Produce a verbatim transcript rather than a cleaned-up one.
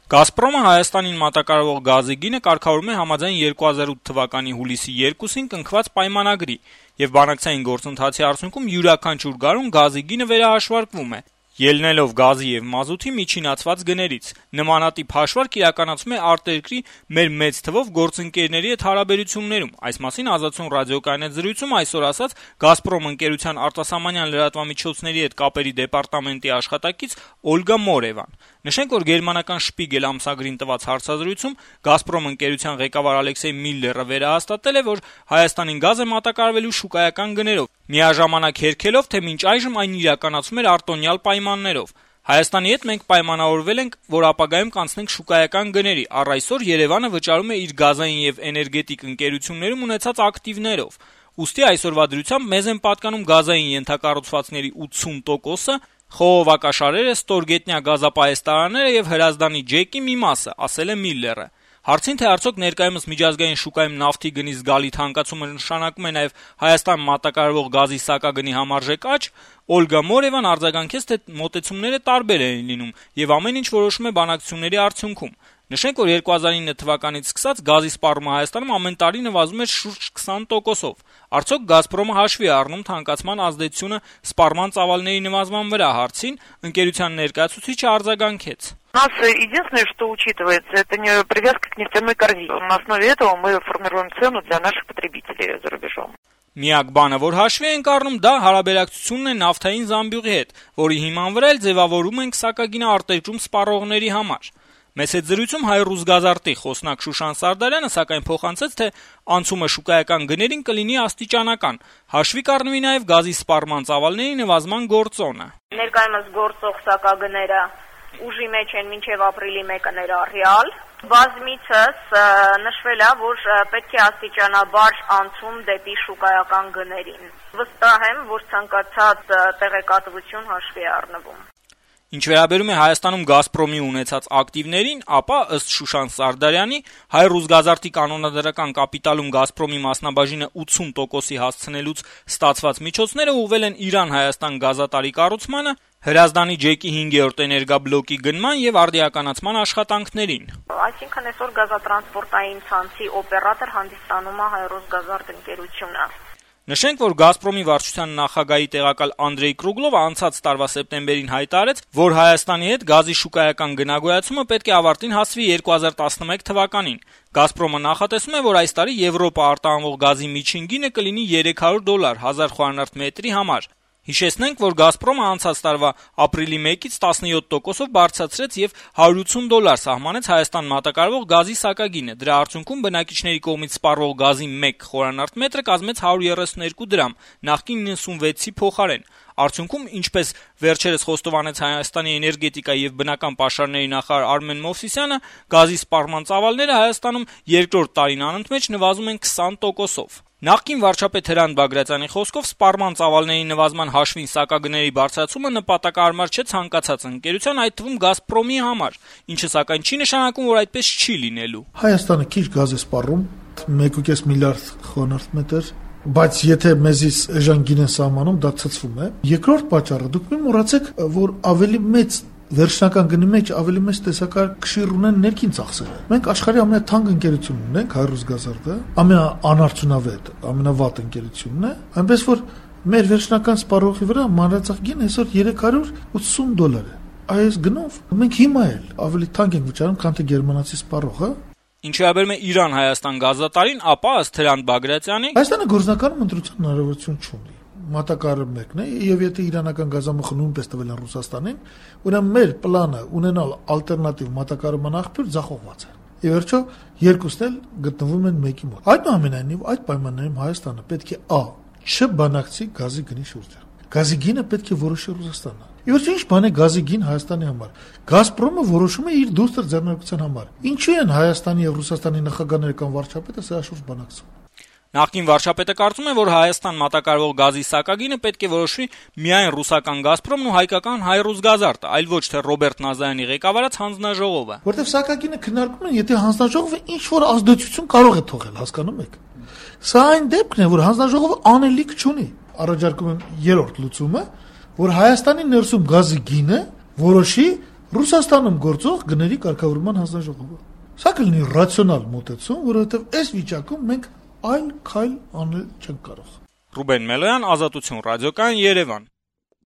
Գազպրոմը Հայաստանին մատակարարող գազի գինը կարգավորում է համաձայն երկու հազար ութ թվականի հուլիսի երկուսին կնքված պայմանագրի, եւ բանակցային գործընթացի արդյունքում յուրաքանչյուր գարուն գազի գինը վերահաշվարկվում է, ելնելով գազի եւ մազութի միջինացված գներից։ Նմանատիպ հաշվարկ իրականացում է արտերկրի մեր մեծ թվով գործընկերների հետ հարաբերություններում։ Այս մասին Ազատություն ռադիոկայան հետ զրույցում այսօր ասաց Գազպրոմ ընկերության արտասահմանյան լրատվամիջոցների հետ կապերի դեպարտամենտի աշխատակից Օլգա Մորևան։ Նշենք, որ գերմանական Շպիգել ամսագրին տված հարցազրույցում Գազպրոմ ընկերության ղեկավար Ալեքսեյ Միլլերը վերահաստատել է, որ Հայաստանին գազ է մատակարարվելու շուկայական գներով, միաժամանակ հերքելով, թե մինչ այժմ այն իրականացում էր արտոնյալ պայմաններով։ Հայաստանի հետ մենք պայմանավորվել ենք, որ ապագայում կանցնենք շուկայական գների, առ այսօր Երևանը վճարում է իր գազային եւ էներգետիկ ընկերություններում ունեցած ակտիվներով։ Ուստի այսօրվա դրությամբ մեզ են պատկանում գազային ենթակառուցվածքների ութսուն տոկոսը, խողովակաշարերը, ստորգետնյա գազապայեստարանները եւ Հրազդանի ջեկի մի մասը, ասել է Միլլերը։ Հարցին, թե արդյոք ներկայումս միջազգային շուկայում նավթի գնի զգալի թանկացումը նշանակում է նաեւ Հայաստան մատակարարվող գազի սակագնի համարժեք աճ, Օլգա Մորևան արձագանքեց, թե մոտեցումները տարբեր են լինում եւ ամեն ինչ որոշում է բանակցությունների արդյունքում։ Նշենք, որ երկու հազար ինը թվականից սկսած գազի սպառումը Հայաստանում ամեն տարի նվազում էր շուրջ քսան տոկոսով։ Արդյոք Գազպրոմը հաշվի է առնում թանկացման ազդեցությունը սպառման ծավալների նվազման վրա, հարցին ընկերության ներկայացուցիչը արձագանքեց. У нас единственное, что учитывается, это не привязка к нефтяной корзине. На основе этого мы формируем цену для наших потребителей за рубежом. Միակ բանը, որ հաշվի ենք առնում, դա հարաբերակցությունն է նավթային զամբյուղի հետ, որի հիման վրա էլ ձևավորում ենք սակագինը արտերկրում սպառողների համար։ Մեծ հետ զրույցում Հայ-Ռուսգազարտի խոսնակ Շուշան Սարդարյանը սակայն փոխանցեց, թե անցումը շուկայական գներին կլինի աստիճանական, հաշվի կառնվի նաև գազի սպառման ծավալների նվազման գործոնը։ Ներկայումս գործող սակագները ուժի մեջ են մինչև ապրիլի մեկը ներառյալ։ Բազմիցս նշվել է, որ պետք է աստիճանաբար անցում դեպի շուկայական գներին։ Վստահ եմ, որ ցանկացած տեղեկատվություն հաշվի է առնվում։ Ինչ վերաբերում է Հայաստանում Գազպրոմի ունեցած ակտիվներին, ապա ըստ Շուշան Սարդարյանի Հայ-Ռուսգազարտի կանոնադրական կապիտալում Գազպրոմի մասնաբաժինը ութսուն տոկոսի հասցնելուց ստացված միջոցները ուղղվել են Իրան-Հայաստան գազատարի կառուցմանը, Հրազդանի ջեկի հինգերորդ էներգաբլոկի գնման եւ արդիականացման աշխատանքներին։ Այսինքն այսօր գազատրանսպորտային ցանցի օպերատոր հանդիսանում է Հայ-Ռուսգազարտ ընկերությունը։ Նշենք, որ Գազպրոմի վարչության նախագահի տեղակալ Անդրեյ Կրուգլովը անցած տարվա սեպտեմբերին հայտարարեց, որ Հայաստանի հետ գազի շուկայական գնագոյացումը պետք է ավարտին հասվի երկու հազար տասնմեկ թվականին։ Գազպրոմը նախատեսում է, որ այս տարի Եվրոպա արտահանվող գազի միջին գինը կլինի երեք հարյուր դոլար հազար խորանարդ մետրի համար։ Հիշեցնենք, որ Գազպրոմը անցած տարվա ապրիլի մեկից տասնյոթ տոկոսով բարձրացրեց եւ հարյուր ութսուն դոլար սահմանեց Հայաստան մատակարարվող գազի սակագինը։ Դրա արդյունքում բնակիչների կողմից սպառվող գազի մեկ խորանարդ մետրը կազմեց հարյուր երեսունյոթ դրամ, նախկին նվեցի փոխարեն։ Արդյունքում, ինչպես վերջերս խոստովանեց Հայաստանի էներգետիկայի եւ բնական պաշարների նախարար Արմեն Մովսիսյանը, գազի սպառման ծավալները Հայաստանում երկրորդ տարին անընդմեջ նվազում են քսան տոկոսով։ Նախկին վարչապետ Հրանտ Բագրատյանի խոսքով սպառման ծավալների նվազման հաշվին սակագների բարձրացումը նպատակահարմար չէ ցանկացած ընկերության, այդ թվում Գազպրոմի համար, ինչը սակայն չի նշանակում, որ այդպես չի լինելու։ Հայաստանը քիչ գազ է սպառում, մեկ կես միլիարդ խորանարդ մետր, բայց եթե մեզից էժան գին են սահմանում, դա ցցվում է։ Երկրորդ պատճառը, դուք մի մոռացեք, որ ավելի մեծ վերջնական գնի մեջ ավելի մեծ տեսակարգ ունեն ներքին ծախսերը։ Մենք աշխարհի ամենաթանկ ընկերությունն ունենք, Հայ-Ռուսգազարտը, ամենաանարդյունավետ, ամենավատ ընկերությունն է, այնպես որ մեր վերջնական սպառողի վրա մանրածախ գինը այսօր երեք հարյուր ութսուն դոլար է։ Այս գնով մենք հիմա էլ ավելի թանկ ենք վճարում, քան թե գերմանացի սպառողը։ Ինչ վերաբերում է Իրան-Հայաստան գազատարին, ապա ըստ Հրանտ Բագրատյանի Հայաստանը գործնականում ընտրության հնարավորություն չունի։ Մատակարարը մեկն է, եւ եթե իրանական գազամուխը նույնպես տվել են Ռուսաստանին, ուրեմն մեր պլանը ունենալ ալտերնատիվ մատակարարման աղբյուր ձախողված է։ Եվ վերջո երկուսն էլ գտնվում են մեկի մոտ։ Այնուամենայնիվ այդ պայմաններում Հայաստանը պետք է ա. չբանակցի գազի գնի շուրջը։ Գազի գինը պետք է որոշի Ռուսաստանը։ Եվ ինչ բան է գազի գին Հայաստանի համար։ Գազպրոմը որոշում է իր դուստր ձեռնարկության համար։ Ինչու են Հայաստանի եւ Ռուսաստանի նախագահները կամ վարչապետը սա շուրջ բանակցում։ Նախկին վարչապետը կարծում է, որ Հայաստան մատակարարվող գազի սակագինը պետք է որոշվի միայն ռուսական Գազպրոմն ու հայկական Հայ-Ռուսգազարտը, այլ ոչ թե Ռոբերտ Նազարյանի ղեկավարած հանձնաժողովը։ Որտեւ սակագինը քննարկում են, եթե հանձնաժողովը ինչ որ ազդեցություն կարող է թողել, հասկանում եք։ Սա այն դեպքն է, որ հանձնաժողովը անելիք չունի։ Առաջարկում եմ երրորդ լուծումը, որ Հայաստանի ներսում գազի գինը որոշի Ռուսաստանում գործող գների կարգավորման հանձնաժողովը։ Սա կլինի ռացիոնալ մոտեցում, որովհետև այս վիճակում մենք այլ քայլ անել չենք կարող։ Ռուբեն Մելոյան, Ազատություն ռադիոկայան, Երևան։